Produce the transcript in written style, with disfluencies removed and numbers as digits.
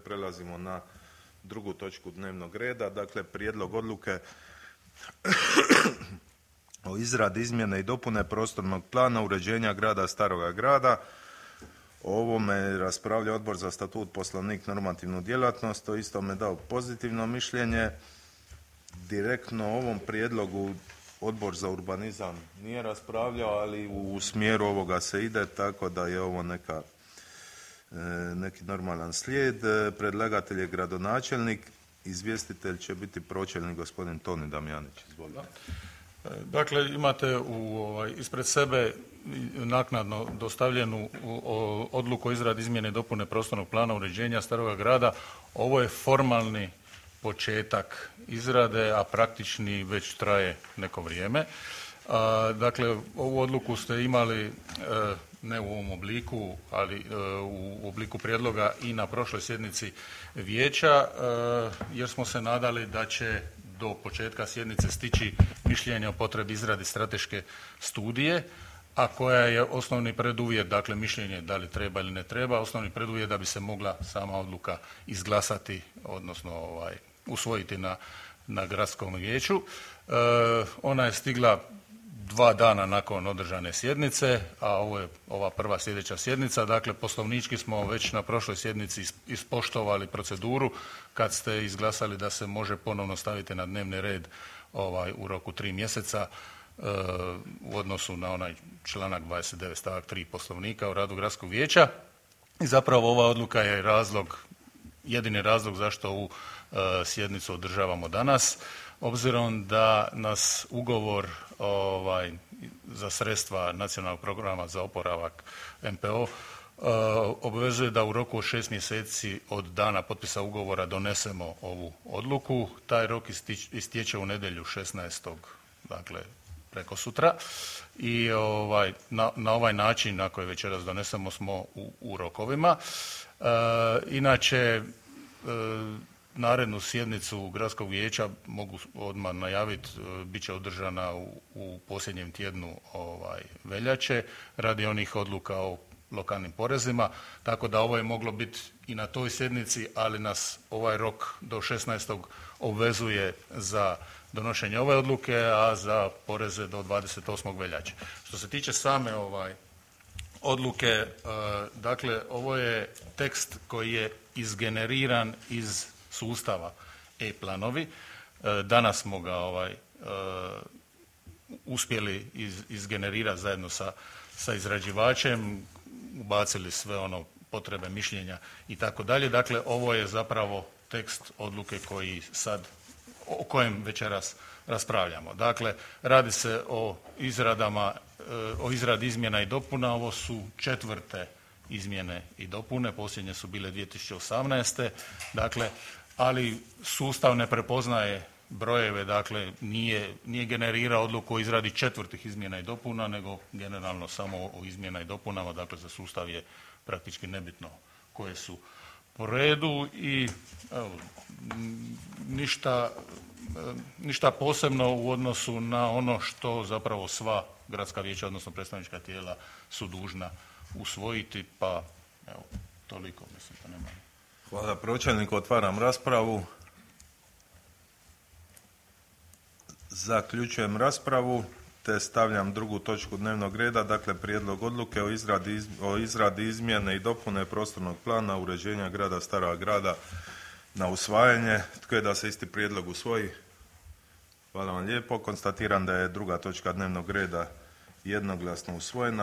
Prelazimo na drugu točku dnevnog reda, dakle prijedlog odluke o izradi izmjene i dopune prostornog plana uređenja grada Staroga Grada. O ovome je raspravljao Odbor za statut, poslovnik, normativnu djelatnost, to isto me dao pozitivno mišljenje. Direktno o ovom prijedlogu Odbor za urbanizam nije raspravljao, ali u smjeru ovoga se ide, tako da je ovo neki normalan slijed. Predlagatelj je gradonačelnik, izvjestitelj će biti pročelnik gospodin Toni Damjanić. Izvolite. Dakle, imate ispred sebe naknadno dostavljenu odluku o izradi izmjene i dopune prostornog plana uređenja Staroga Grada. Ovo je formalni početak izrade, a praktični već traje neko vrijeme. Dakle, ovu odluku ste imali ne u ovom obliku, ali u obliku prijedloga i na prošloj sjednici vijeća, jer smo se nadali da će do početka sjednice stići mišljenje o potrebi izradi strateške studije, a koja je osnovni preduvjet, dakle mišljenje da li treba ili ne treba, osnovni preduvjet da bi se mogla sama odluka izglasati, odnosno usvojiti na gradskom vijeću. Ona je stigla 2 dana nakon održane sjednice, a ovo je ova prva sljedeća sjednica. Dakle, poslovnički smo već na prošloj sjednici ispoštovali proceduru kad ste izglasali da se može ponovno staviti na dnevni red u roku 3 mjeseca u odnosu na onaj članak 29 stavak 3 Poslovnika o radu gradskog vijeća. I zapravo ova odluka je jedini razlog zašto ovu sjednicu održavamo danas, obzirom da nas ugovor za sredstva Nacionalnog programa za oporavak NPO obvezuje da u roku od 6 mjeseci od dana potpisa ugovora donesemo ovu odluku. Taj rok istječe u nedjelju 16. dakle prekosutra i na ovaj način, ako je večeras donesemo, smo u rokovima. Inače, narednu sjednicu gradskog vijeća mogu odmah najaviti, bit će održana u posljednjem tjednu veljače radi onih odluka o lokalnim porezima, tako da ovo je moglo biti i na toj sjednici, ali nas ovaj rok do 16. obvezuje za donošenje ove odluke, a za poreze do 28. veljače. Što se tiče same odluke, dakle ovo je tekst koji je izgeneriran iz sustava e-planovi. Danas smo ga uspjeli izgenerirati zajedno sa izrađivačem, ubacili sve potrebe, mišljenja i tako dalje. Dakle, ovo je zapravo tekst odluke o kojem večeras raspravljamo. Dakle, radi se o izradi izmjena i dopuna. Ovo su 4. izmjene i dopune, posljednje su bile 2018. Dakle, ali sustav ne prepoznaje brojeve, dakle nije generirao odluku o izradi 4. izmjena i dopuna, nego generalno samo o izmjena i dopunama. Dakle, za sustav je praktički nebitno koje su po redu i ništa posebno u odnosu na ono što zapravo sva gradska vijeća, odnosno predstavnička tijela su dužna usvojiti, pa evo, toliko, mislim da nema. Hvala pročelniku, otvaram raspravu. Zaključujem raspravu te stavljam drugu točku dnevnog reda, dakle prijedlog odluke o izradi izmjene i dopune prostornog plana uređenja grada Staroga Grada na usvajanje. Tko je da se isti prijedlog usvoji? Hvala vam lijepo. Konstatiram da je druga točka dnevnog reda jednoglasno usvojena.